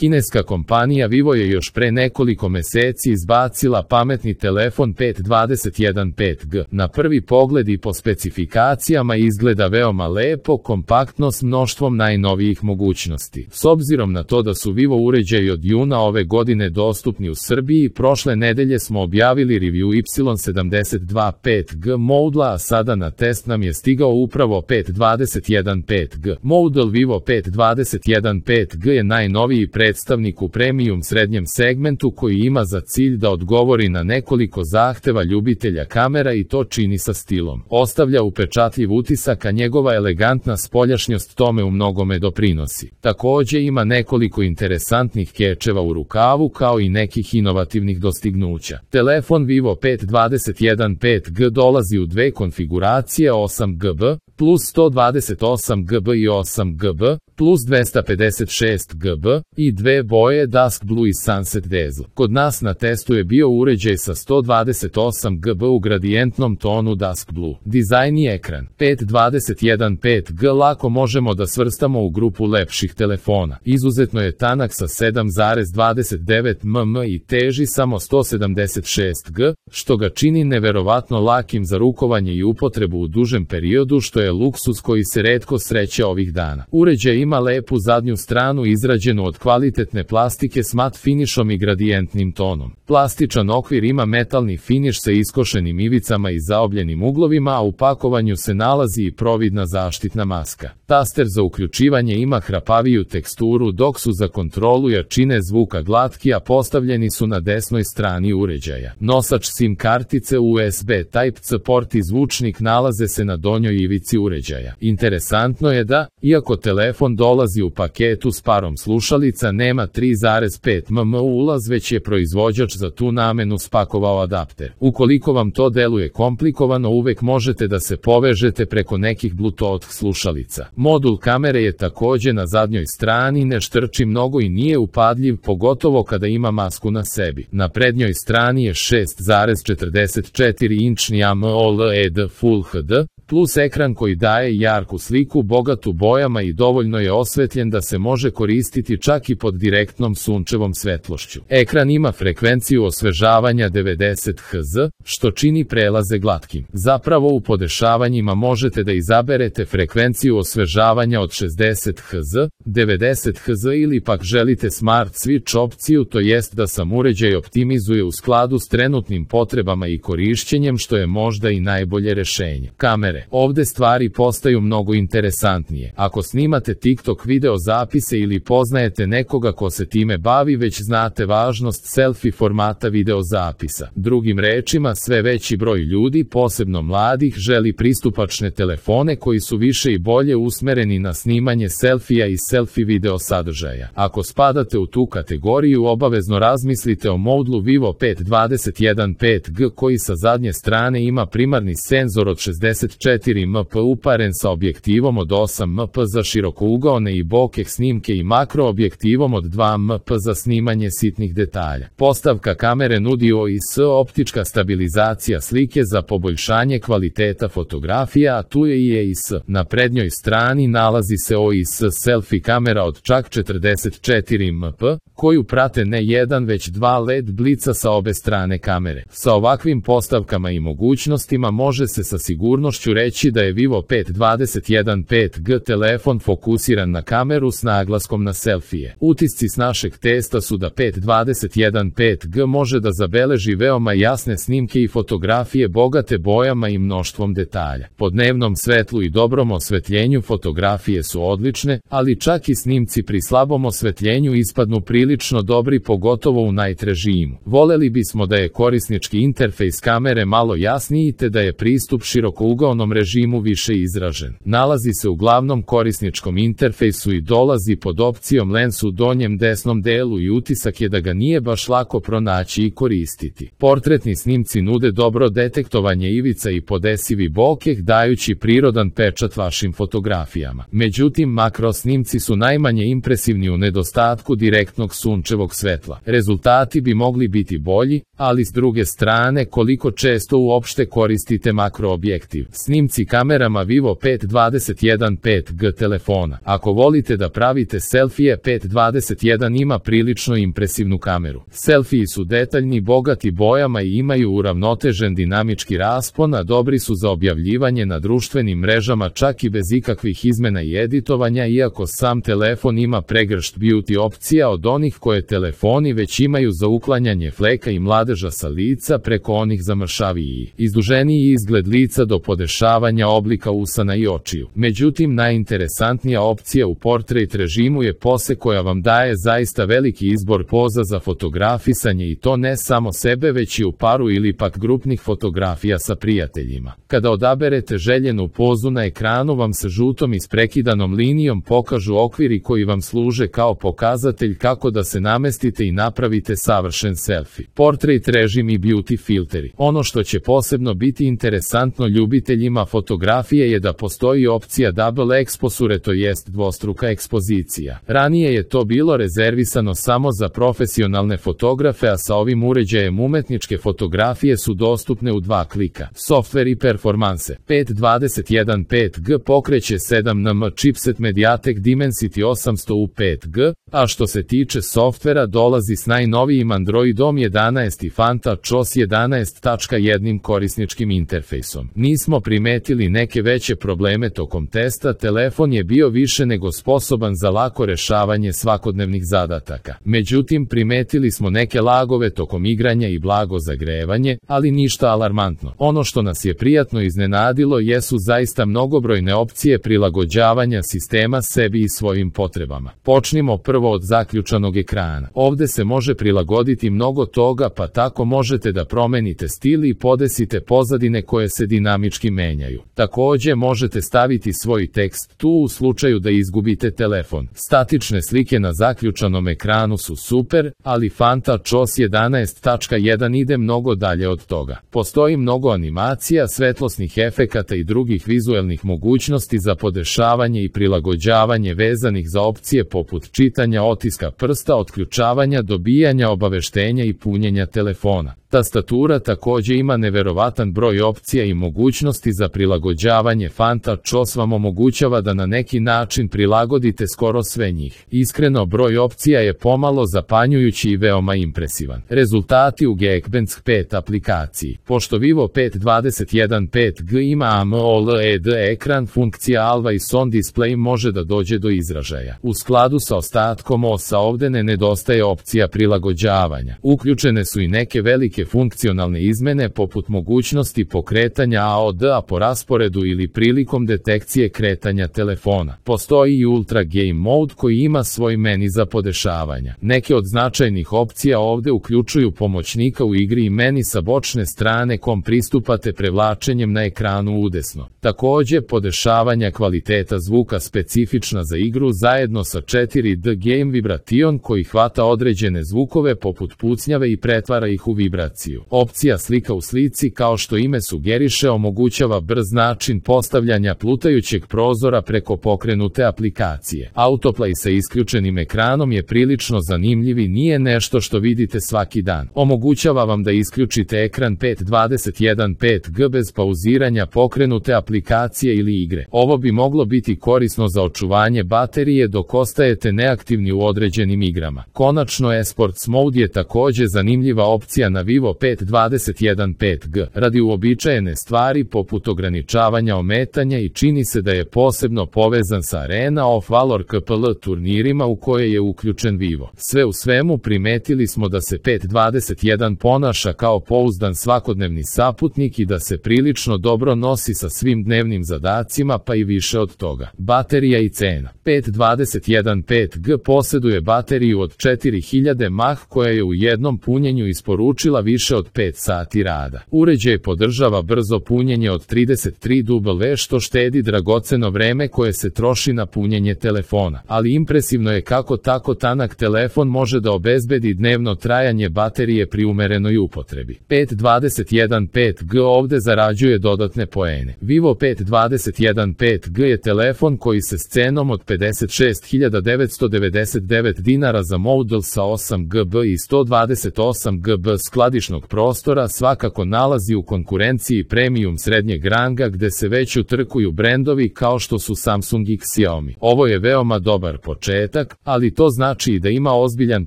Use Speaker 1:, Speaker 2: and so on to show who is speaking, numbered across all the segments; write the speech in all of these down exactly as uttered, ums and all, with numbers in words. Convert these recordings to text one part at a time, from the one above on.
Speaker 1: Kineska kompanija Vivo je još pre nekoliko meseci izbacila pametni telefon pet dvadeset jedan pet G. Na prvi pogled i po specifikacijama izgleda veoma lepo, kompaktno s mnoštvom najnovijih mogućnosti. S obzirom na to da su Vivo uređaji od juna ove godine dostupni u Srbiji, prošle nedelje smo objavili review Y sedamdeset dva pet G modela, a sada na test nam je stigao upravo pet dvadeset jedan pet G. Model Vivo pet dvadeset jedan pet G je najnoviji predstavnik u premium srednjem segmentu koji ima za cilj da odgovori na nekoliko zahteva ljubitelja kamera i to čini sa stilom. Ostavlja upečatljiv utisak, a njegova elegantna spoljašnjost tome u mnogome doprinosi. Takođe ima nekoliko interesantnih kečeva u rukavu kao i nekih inovativnih dostignuća. Telefon Vivo pet dvadeset jedan pet G dolazi u dve konfiguracije, osam G B plus sto dvadeset osam G B i osam G B plus dvesta pedeset šest G B i dve boje Dusk Blue i Sunset Dazzle. Kod nas na testu je bio uređaj sa sto dvadeset osam G B u gradijentnom tonu Dusk Blue. Dizajn i ekran pet dvadeset jedan pet G lako možemo da svrstamo u grupu lepših telefona. Izuzetno je tanak sa sedam zarez dvadeset devet milimetara i teži samo sto sedamdeset šest grama, što ga čini neverovatno lakim za rukovanje i upotrebu u dužem periodu, što je luksuz koji se retko sreće ovih dana. Uređaj ima lepu zadnju stranu izrađenu od kvalitetne plastike s mat finišom i gradijentnim tonom. Plastičan okvir ima metalni finiš sa iskošenim ivicama i zaobljenim uglovima, a u pakovanju se nalazi i providna zaštitna maska. Taster za uključivanje ima hrapaviju teksturu, dok su za kontrolu jačine zvuka glatki, a postavljeni su na desnoj strani uređaja. Nosač SIM kartice, U S B Type-C port i zvučnik nalaze se na donjoj ivici uređaja. Interesantno je da, iako telefon dolazi u paketu s parom slušalica, nema tri zarez pet milimetara ulaz, već je proizvođač za tu namenu spakovao adapter. Ukoliko vam to deluje komplikovano, uvek možete da se povežete preko nekih Bluetooth slušalica. Modul kamere je takođe na zadnjoj strani, ne štrči mnogo i nije upadljiv, pogotovo kada ima masku na sebi. Na prednjoj strani je šest zarez četrdeset četiri inčni AMOLED Full H D, plus ekran koji daje jarku sliku, bogatu bojama i dovoljno je osvetljen da se može koristiti čak i pod direktnom sunčevom svetlošću. Ekran ima frekvenciju osvežavanja devedeset hertza, što čini prelaze glatkim. Zapravo u podešavanjima možete da izaberete frekvenciju osvežavanja od šezdeset hertza, devedeset hertza ili pak želite Smart Switch opciju, to jest da sam uređaj optimizuje u skladu s trenutnim potrebama i korišćenjem, što je možda i najbolje rešenje. Kamere. Ovde stvari postaju mnogo interesantnije. Ako snimate TikTok video zapise ili poznajete nekoga ko se time bavi, već znate važnost selfie formata video zapisa. Drugim rečima, sve veći broj ljudi, posebno mladih, želi pristupačne telefone koji su više i bolje usmereni na snimanje selfija i selfie video sadržaja. Ako spadate u tu kategoriju, obavezno razmislite o modelu Vivo pet dvadeset jedan pet G koji sa zadnje strane ima primarni senzor od šezdeset četiri megapikslea uparen sa objektivom od osam megapikslea za širokougaone i bokeh snimke i makro objektivom od dva megapikslea za snimanje sitnih detalja. Postavka kamere nudi O I S optička stabilizacija slike za poboljšanje kvaliteta fotografija, a tu je i E I S. Na prednjoj strani nalazi se O I S selfie kamera od čak četrdeset četiri megapikslea, koju prate ne jedan već dva L E D blica sa obe strane kamere. Sa ovakvim postavkama i mogućnostima može se sa sigurnošću reći da je Vivo pet dvadeset jedan pet G telefon fokusiran na kameru s naglaskom na selfije. Utisci s našeg testa su da pet dvadeset jedan pet G može da zabeleži veoma jasne snimke i fotografije bogate bojama i mnoštvom detalja. Po dnevnom svetlu i dobrom osvetljenju fotografije su odlične, ali čak i snimci pri slabom osvetljenju ispadnu prilično dobri, pogotovo u night režimu. Voleli bismo da je korisnički interfejs kamere malo jasniji te da je pristup širokougaonom režimu više izražen. Nalazi se u glavnom korisničkom interfejsu i dolazi pod opcijom Lens u donjem desnom delu i utisak je da ga nije baš lako pronaći i koristiti. Portretni snimci nude dobro detektovanje ivica i podesivi bokeh, dajući prirodan pečat vašim fotografijama. Međutim, makro snimci su najmanje impresivni u nedostatku direktnog sunčevog svetla. Rezultati bi mogli biti bolji, ali s druge strane, koliko često uopšte koristite makroobjektiv. Snimci kamerama Vivo pet dvadeset jedan pet G telefona. Ako volite da pravite selfije, pet dvadeset jedan ima prilično impresivnu kameru. Selfiji su detaljni, bogati bojama i imaju uravnotežen dinamički raspon, a dobri su za objavljivanje na društvenim mrežama čak i bez ikakvih izmena i editovanja, iako sam telefon ima pregršt beauty opcija od onih koje telefoni već imaju za uklanjanje fleka i mladeža sa lica preko onih zamršaviji, izduženiji izgled lica do podešavanja oblika usana i očiju. Međutim, najinteresantnija opcija u portrait režimu je pose koja vam daje zaista veliki izbor poza za fotografisanje i to ne samo sebe već i u paru ili pak grupnih fotografija sa prijateljima. Kada odaberete željenu pozu na ekranu vam se žutom isprekidanom linijom pokažu okviri koji vam služe kao pokazatelj kako da se namestite i napravite savršen selfie. Portrait režim i beauty filteri. Ono što će posebno biti interesantno ljubiteljima fotografije je da postoji opcija double exposure, to jest dvostruka ekspozicija. Ranije je to bilo rezervisano samo za profesionalne fotografe, a sa ovim uređajem umetničke fotografije su dostupne u dva klika. Software i performanse. pet dvadeset jedan pet G pokreće sedam nanometra chipset Mediatek Dimensity osamsto U pet G, a što se tiče softvera dolazi s najnovijim Androidom jedanaest i FunTouch jedanaest tačka jedan korisničkim interfejsom. Nismo primetili neke veće probleme tokom testa, telefon je bio više nego sposoban za lako rešavanje svakodnevnih zadataka. Međutim, primetili smo neke lagove tokom igranja i blago zagrevanje, ali ništa alarmantno. Ono što nas je prijatno iznenadilo jesu zaista mnogobrojne opcije prilagođavanja sistema sebi i svojim potrebama. Počnimo prvo od zaključanog ekrana. Ovde se može prilagoditi mnogo toga, pa tako možete da promenite stil i podesite pozadine koje se dinamički menjaju. Takođe možete staviti svoj tekst tu u slučaju da izgubite telefon. Statične slike na zaključanom ekranu su super, ali FunTouch jedanaest tačka jedan ide mnogo dalje od toga. Postoji mnogo animacija, svetlosnih efekata i drugih vizuelnih mogućnosti za podešavanje i prilagođavanje vezanih za opcije poput čitanja otiska prsta, otključavanja, dobijanja obaveštenja i punjenja telefona. Tastatura takođe ima neverovatan broj opcija i mogućnosti za prilagođavanje. FunTouch vam omogućava da na neki način prilagodite skoro sve njih. Iskreno, broj opcija je pomalo zapanjujući i veoma impresivan. Rezultati u Geekbench pet aplikaciji. Pošto Vivo pet dvadeset jedan pet G ima AMOLED ekran, funkcija Always On Display može da dođe do izražaja. U skladu sa ostatkom osa ovde ne nedostaje opcija prilagođavanja. Uključene su i neke velike funkcionalne izmene poput mogućnosti pokretanja A O D-a po rasporedu ili prilikom detekcije kretanja telefona. Postoji i Ultra Game Mode koji ima svoj meni za podešavanja. Neke od značajnih opcija ovde uključuju pomoćnika u igri i meni sa bočne strane kom pristupate prevlačenjem na ekranu udesno. Takođe, podešavanja kvaliteta zvuka specifična za igru zajedno sa četiri D Game Vibration koji hvata određene zvukove poput pucnjave i pretvara ih u vibraciju. Opcija slika u slici, kao što ime sugeriše, omogućava brz način postavljanja plutajućeg prozora preko pokrenute aplikacije. Autoplay sa isključenim ekranom je prilično zanimljiv i nije nešto što vidite svaki dan. Omogućava vam da isključite ekran pet dvadeset jedan pet G bez pauziranja pokrenute aplikacije ili igre. Ovo bi moglo biti korisno za očuvanje baterije dok ostajete neaktivni u određenim igrama. Konačno, eSports Mode je takođe zanimljiva opcija na Vivo pet dvadeset jedan pet G. Radi uobičajene stvari poput ograničavanja ometanja i čini se da je posebno povezan sa Arena of Valor K P L turnirima u koje je uključen Vivo. Sve u svemu primetili smo da se pet dvadeset jedan ponaša kao pouzdan svakodnevni saputnik i da se prilično dobro nosi sa svim dnevnim zadacima, pa i više od toga. Baterija i cena. pet dvadeset jedan pet G posjeduje bateriju od četiri hiljade mah koja je u jednom punjenju isporučila više od pet sati rada. Uređaj podržava brzo punjenje od trideset tri W što štedi dragoceno vreme koje se troši na punjenje telefona, ali impresivno je kako tako tanak telefon može da obezbedi dnevno trajanje baterije pri umerenoj upotrebi. pet dvadeset jedan pet G ovde zarađuje dodatne poene. Vivo pet dvadeset jedan pet G je telefon koji se s cenom od pedeset šest hiljada devetsto devedeset devet dinara za model sa osam gigabyta i sto dvadeset osam gigabyta skladišta tržišnog prostora svakako nalazi u konkurenciji premium srednjeg ranga gde se već utrkuju brendovi kao što su Samsung i Xiaomi. Ovo je veoma dobar početak, ali to znači i da ima ozbiljan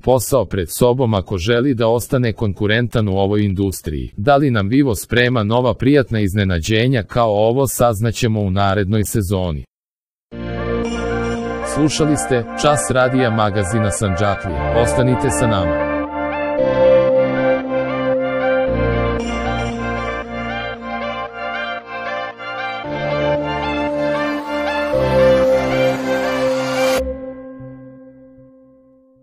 Speaker 1: posao pred sobom ako želi da ostane konkurentan u ovoj industriji. Da li nam Vivo sprema nova prijatna iznenađenja kao ovo, saznaćemo u narednoj sezoni. Slušali ste Čas radija magazina Sandžaklija. Ostanite sa nama.